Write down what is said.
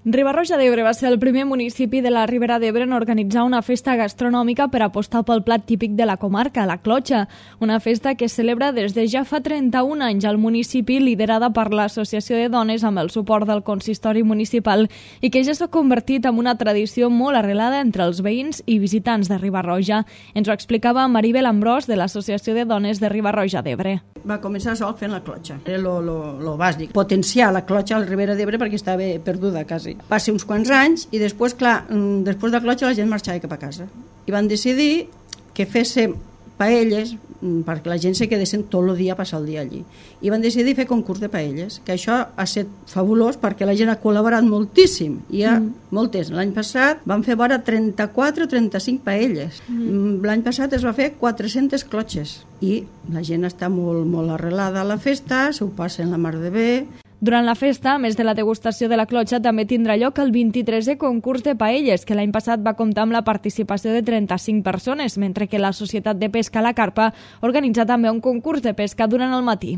Riba-roja d'Ebre va ser el primer municipi de la Ribera d'Ebre en organitzar una festa gastronòmica per apostar pel plat típic de la comarca, la clotxa. Una festa que es celebra des de ja fa 31 anys al municipi, liderada per l'Associació de Dones amb el suport del consistori municipal i que ja s'ha convertit en una tradició molt arrelada entre els veïns i visitants de Riba-roja. Ens ho explicava Maribel Ambrós de l'Associació de Dones de Riba-roja d'Ebre. Va començar sol fent la clotxa, era lo bàsic, potenciar la clotxa a la Ribera d'Ebre perquè estava perduda quasi. Va ser uns quants anys i després, clar, després de la clotxa la gent marxava cap a casa. I van decidir que féssim paelles perquè la gent se quedessin tot el dia a passar el dia allí. I van decidir fer concurs de paelles, que això ha estat fabulós perquè la gent ha col·laborat moltíssim. Hi ha moltes. L'any passat van fer vora 34 o 35 paelles. L'any passat es va fer 400 clotxes i la gent està molt, molt arrelada a la festa, s'ho passen la mar de bé. Durant la festa, a més de la degustació de la clotxa, també tindrà lloc el 23è concurs de paelles, que l'any passat va comptar amb la participació de 35 persones, mentre que la Societat de Pesca La Carpa organitza també un concurs de pesca durant el matí.